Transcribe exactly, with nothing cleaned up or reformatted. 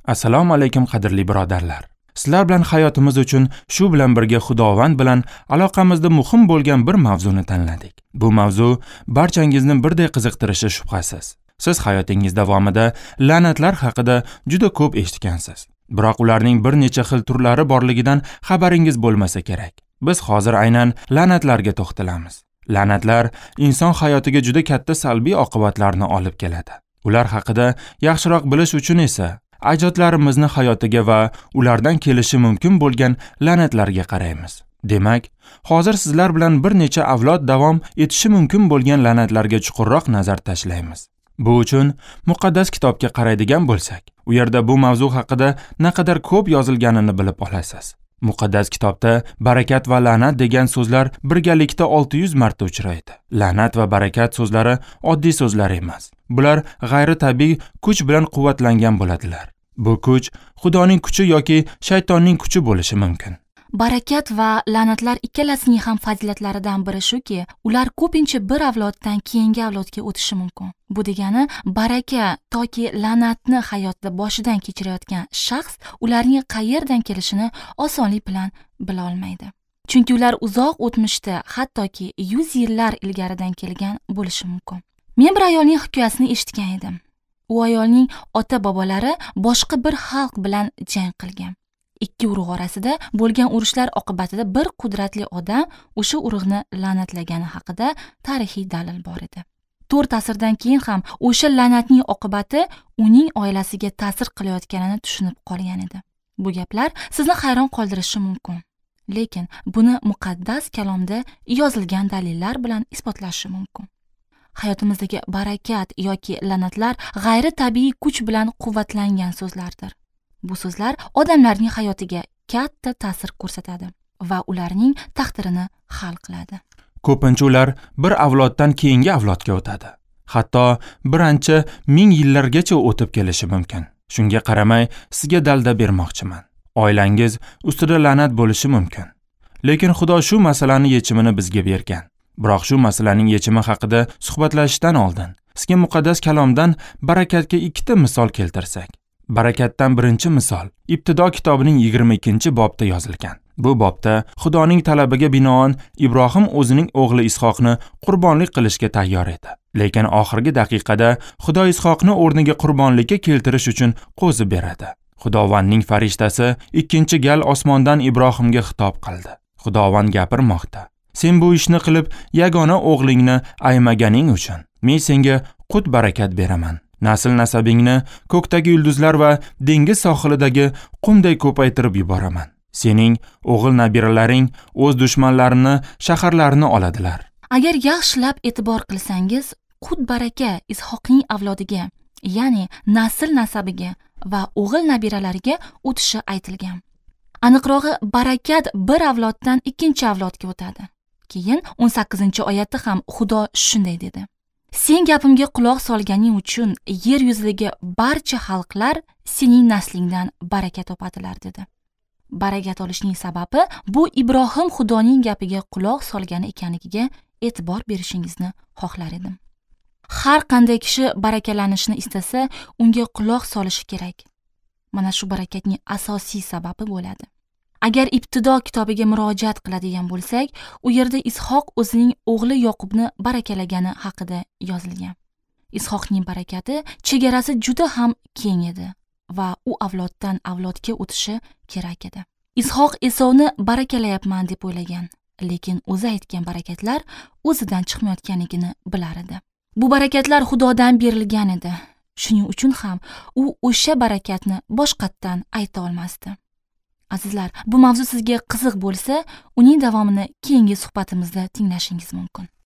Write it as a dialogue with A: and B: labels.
A: Assalomu alaykum qadrli birodarlar. Sizlar bilan hayotimiz uchun shu bilan birga Xudovand bilan aloqamizda muhim bo'lgan bir mavzuni tanladik. Bu mavzu barchangizni birday qiziqtirishi shubhasiz. Siz hayotingiz davomida la'natlar haqida juda ko'p eshitgansiz. Biroq ularning bir necha xil turlari borligidan xabaringiz bo'lmasa kerak. Biz hozir aynan la'natlarga to'xtalamiz. La'natlar inson hayotiga juda katta salbiy oqibatlarni olib keladi. Ular haqida yaxshiroq bilish uchun esa ajdodlarimizni hayotiga va ulardan kelishi mumkin bo'lgan la'natlarga qaraymiz. Demak, hozir sizlar bilan bir necha avlod davom etishi mumkin bo'lgan la'natlarga chuqurroq nazar tashlaymiz. Bu uchun muqaddas kitobga qaraydigan bo'lsak, u yerda bu mavzu haqida naqadar ko'p yozilganini bilib olasiz. Muqaddas kitobda barakat va la'nat degan so'zlar birgalikda olti yuz marta uchraydi. La'nat va barakat so'zlari oddiy so'zlar emas. Bular g'ayritabiiy kuch bilan quvvatlangan bo'ladilar. Bu kuch Xudoning kuchi yoki shaytonning kuchi bo'lishi mumkin.
B: Barakat va la'natlar ikkalasining ham fazilatlaridan biri shuki, ular ko'pincha bir avloddan keyingi avlodga o'tishi mumkin. Bu degani baraka toki la'natni hayotda boshidan kechirayotgan shaxs ularning qayerdan kelishini osonlik bilan bila olmaydi. Chunki ular uzoq o'tmishda, hattoki yuz yillar ilgaridan kelgan bo'lishi mumkin. Men bir ayolning hikoyasini eshitgan edim. U ayolning ota-bobolari boshqa bir xalq bilan jang qilgan. Ikki urug' orasida bo'lgan urushlar oqibatida bir qudratli odam o'sha urug'ni la'natlagani haqida tarixiy dalil bor edi. To'rt asrdan keyin ham o'sha la'natning oqibati uning oilasiga ta'sir qilayotganini tushunib qolgan edi. Bu gaplar sizni hayron qoldirishi mumkin. Lekin buni muqaddas kalomda yozilgan dalillar bilan isbotlashi mumkin. Hayotimizdagi barakat yoki la'natlar g'ayritabiiy kuch bilan quvvatlangan so'zlardir. Bu so'zlar odamlarning hayotiga katta ta'sir ko'rsatadi va ularning taqdirini hal qiladi.
A: Ko'pincha ular bir avloddan keyingi avlodga o'tadi. Hatto bir ancha ming yillargacha o'tib kelishi mumkin. Shunga qaramay sizga dalda bermoqchiman. Oilangiz ustida la'nat bo'lishi mumkin. Lekin Xudo shu masalaning yechimini bizga bergan. Biroq shu masalaning yechimi haqida suhbatlashishdan oldin sizga muqaddas kalomdan barakatga ikkita misol keltirsak. Barakatdan birinchi misol Ibtido kitobining yigirma ikkinchi bobda yozilgan. Bu bobda Xudoning talabiga binoan Ibrohim o'zining o'g'li Ishoqni qurbonlik qilishga tayyor edi. Lekin oxirgi daqiqada Xudo Ishoqni o'rniga qurbonlikka keltirish uchun qo'zi beradi. Xudovandning farishtasi ikkinchi gal osmondan Ibrohimga xitob qildi. Xudovand gapirmoqda. Sen bu ishni qilib yagona o'g'lingni aymaganing uchun men senga qut barakat beraman. Nasl nasabingni ko'kdagi yulduzlar va dengiz sohilidagi qumday ko'paytirib yuboraman. Sening o'g'il nabiralaring o'z dushmanlarini shaharlarini oladilar.
B: Agar yaxshilab e'tibor qilsangiz, qut baraka Ishoqning avlodiga, ya'ni nasl nasabiga va o'g'il nabiralariga o'tishi aytilgan. Aniqrog'i, barakat bir avloddan ikkinchi avlodga o'tadi. Keyin o'n sakkizinchi oyatda ham Xudo shunday dedi: Sen gapimga quloq solganing uchun yer yuzidagi barcha xalqlar sening naslingdan baraka topadilar dedi. Barakat olishning sababi bu Ibrohim Xudoning gapiga quloq solgani ekanligiga e'tibor berishingizni xohlar edim. Har qanday kishi barakalanishni istasa, unga quloq solishi kerak. Mana shu barakatning asosiy sababi bo'ladi. Agar Ibtido kitobiga murojaat qiladigan bo'lsak, u yerda Ishoq o'zining o'g'li Yoqubni barakalagani haqida yozilgan. Ishoqning barakati chegarasi juda ham keng edi va u avloddan avlodga o'tishi kerak edi. Ishoq Esovni barakalayapman deb o'ylagan, lekin o'zi aytgan barakatlar o'zidan chiqmayotganligini bilar edi. Bu barakatlar Xudodan berilgan edi. Shuning uchun ham u o'sha barakatni boshqatdan ayta olmasdi. Azizlar, bu mavzu sizga qiziq bo'lsa, uning davomini keyingi suhbatimizda tinglashingiz mumkin.